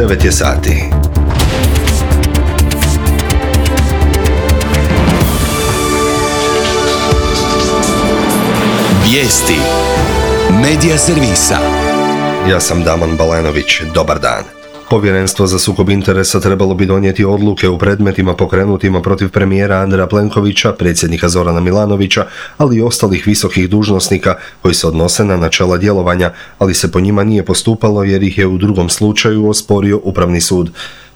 9 je sati. Vijesti Medija servisa. Ja sam Damon Balenović. Dobar dan. Povjerenstvo za sukob interesa trebalo bi donijeti odluke u predmetima pokrenutima protiv premijera Andreja Plenkovića, predsjednika Zorana Milanovića, ali i ostalih visokih dužnosnika koji se odnose na načela djelovanja, ali se po njima nije postupalo jer ih je u drugom slučaju osporio Upravni sud.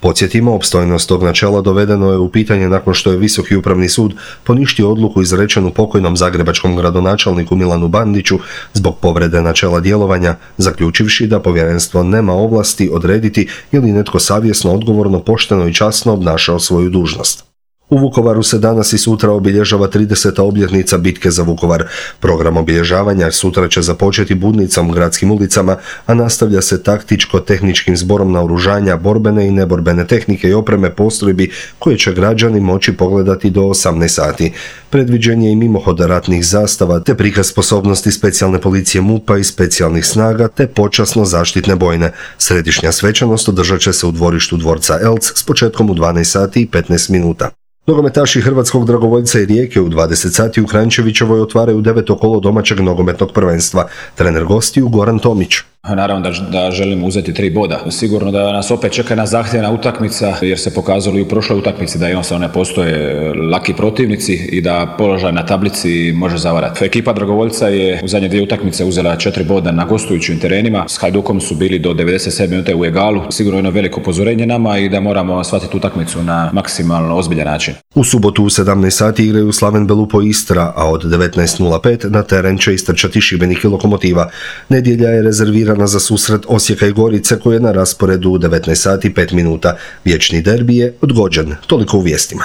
Podsjetimo, opstojnost tog načela dovedeno je u pitanje nakon što je Visoki upravni sud poništio odluku izrečenu pokojnom zagrebačkom gradonačelniku Milanu Bandiću zbog povrede načela djelovanja, zaključivši da povjerenstvo nema ovlasti odrediti je li netko savjesno, odgovorno, pošteno i časno obnašao svoju dužnost. U Vukovaru se danas i sutra obilježava 30. obljetnica bitke za Vukovar. Program obilježavanja sutra će započeti budnicom gradskim ulicama, a nastavlja se taktičko-tehničkim zborom naoružanja, borbene i neborbene tehnike i opreme postrojbi koje će građani moći pogledati do 18 sati. Predviđen je i mimohod ratnih zastava, te prikaz sposobnosti specijalne policije MUP-a i specijalnih snaga, te počasno zaštitne bojne. Središnja svečanost održat će se u dvorištu dvorca Elc s početkom u 12 sati i 15 minuta. Nogometaši Hrvatskog dragovoljca i Rijeke u 20 sati u Kranjčevićevoj otvaraju 9. kolo domaćeg nogometnog prvenstva. Trener gostiju Goran Tomić. Naravno da želimo uzeti 3 boda. Sigurno da nas opet čeka jedna zahtjevna utakmica jer se pokazalo i u prošloj utakmici da jednostavno ne postoje laki protivnici i da položaj na tablici može zavarati. Ekipa dragovoljca je u zadnje 2 utakmice uzela 4 boda na gostujućim terenima. S Hajdukom su bili do 97 minuta u egalu. Sigurno jedno veliko upozorenje nama i da moramo shvatiti utakmicu na maksimalno ozbiljan način. U subotu u 17 sati igraju Slaven Belupo Istra, a od 19:05 na teren će istrčati Šibenik i Lokomotiva. Nedjelja je rezervirana za susret Osijeka i Gorice koji je na rasporedu u 19 sati 5 minuta. Vječni derbi je odgođen. Toliko u vijestima.